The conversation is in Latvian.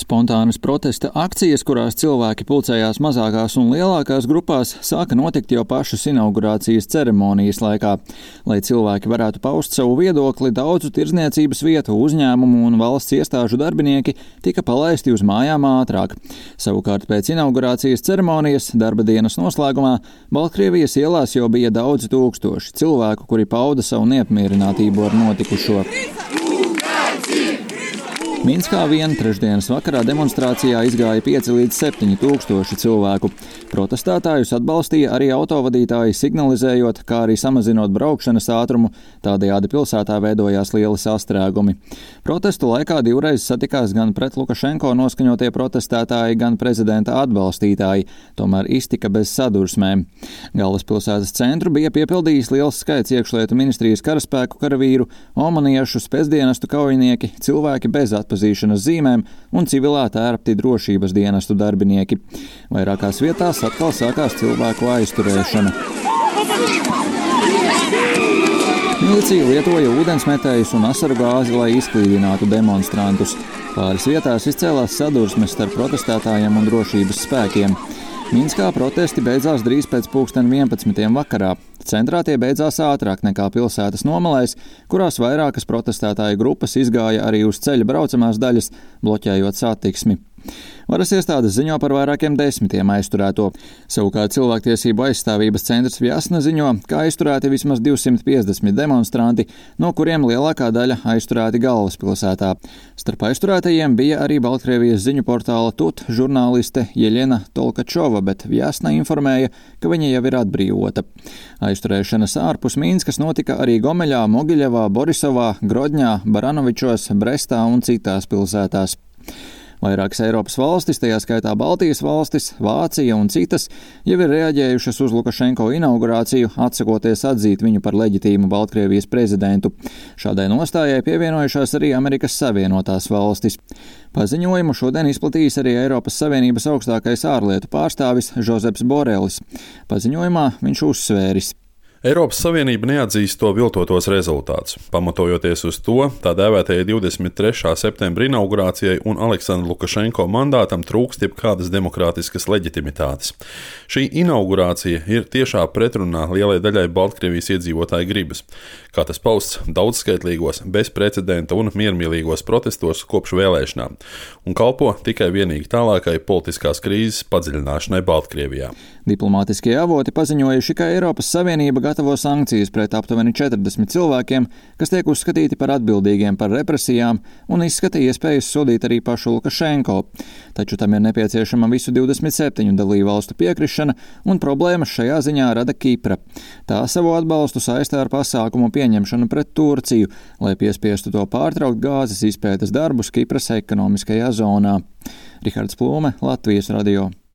Spontānas protesta akcijas, kurās cilvēki pulcējās mazākās un lielākās grupās, sāka notikt jau pašas inaugurācijas ceremonijas laikā. Lai cilvēki varētu paust savu viedokli, daudzu tirdzniecības vietu, uzņēmumu un valsts iestāžu darbinieki tika palaisti uz mājām ātrāk. Savukārt pēc inaugurācijas ceremonijas darba dienas noslēgumā Baltkrievijas ielās jau bija daudzi tūkstoši cilvēku, kuri pauda savu neapmierinātību ar notikušo. Minskā vien trešdienas vakarā demonstrācijā izgāja 5 līdz 7 tūkstoši cilvēku. Protestētājus atbalstīja arī autovadītāji, signalizējot, kā arī samazinot braukšanas ātrumu, tādējādi pilsētā veidojās lieli sastrēgumi. Protestu laikā divreiz satikās gan pret Lukašenko noskaņotie protestētāji, gan prezidenta atbalstītāji, tomēr iztika bez sadursmēm. Galvaspilsētas centru bija piepildījis liels skaits iekšlietu ministrijas karaspēku karavīru, omaniešu, spēcdienestu kaujinieki, cilvēki bez atpazīšanas zīmēm un civilā tērpti drošības dienestu darbinieki. Vairākās vietās atkal sākās cilvēku aizturēšana. Milicija lietoja ūdensmetējus un asaru gāzi, lai izklīdinātu demonstrantus. Pāris vietās izcēlās sadursmes starp protestētājiem un drošības spēkiem. Minskā protesti beidzās drīz pēc 11. vakarā. Centrā tie beidzās ātrāk nekā pilsētas nomalēs, kurās vairākas protestētāju grupas izgāja arī uz ceļa braucamās daļas, bloķējot satiksmi. Varas iestādes ziņo par vairākiem desmitiem aizturēto. Savukārt cilvēktiesību aizstāvības centrs Vjasna ziņo, ka aizturēti vismaz 250 demonstranti, no kuriem lielākā daļa aizturēti galvaspilsētā. Starp aizturētajiem bija arī Baltkrievijas ziņu portāla TUT žurnāliste Jeļena Tolkačova, bet Vjasna informēja, ka viņa jau ir atbrīvota. Aizturēšanas ārpus Minskas notika arī Gomeļā, Mogiļevā, Borisovā, Grodņā, Baranovičos, Brestā un citās pilsētās. Vairākas Eiropas valstis, tajā skaitā Baltijas valstis, Vācija un citas, jau ir reaģējušas uz Lukašenko inaugurāciju, atsakoties atzīt viņu par leģitīmu Baltkrievijas prezidentu. Šādai nostājai pievienojušās arī Amerikas Savienotās valstis. Paziņojumu šodien izplatījis arī Eiropas Savienības augstākais ārlietu pārstāvis Žozeps Borelis. Paziņojumā viņš uzsvēris: Eiropas Savienība neatzīst to viltotos rezultātus, pamatojoties uz to tā dēvētajai 23. septembra inaugurācijai un Aleksandra Lukašenko mandātam trūkst jebkādas demokrātiskas leģitimitātes. Šī inaugurācija ir tiešā pretrunā lielai daļai Baltkrievijas iedzīvotāju gribas, kā tas pausts daudzskaitlīgos, bezprecedenta un miermīlīgos protestos kopš vēlēšanām, un kalpo tikai vienīgi tālākai politiskās krīzes padziļināšanai Baltkrievijā. Diplomātiskie avoti paziņojuši, ka Eiropas Savienība gatavo sankcijas pret aptuveni 40 cilvēkiem, kas tiek uzskatīti par atbildīgiem par represijām, un izskata iespējas sodīt arī pašu Lukašenko. Taču tam ir nepieciešama visu 27 dalībvalstu piekrišana, un problēmas šajā ziņā rada Kipra. Tā savu atbalstu saistā ar pasākumu pieņemšanu pret Turciju, lai piespiestu to pārtraukt gāzes izpētes darbus Kipras ekonomiskajā zonā. Rihards Plūme, Latvijas radio.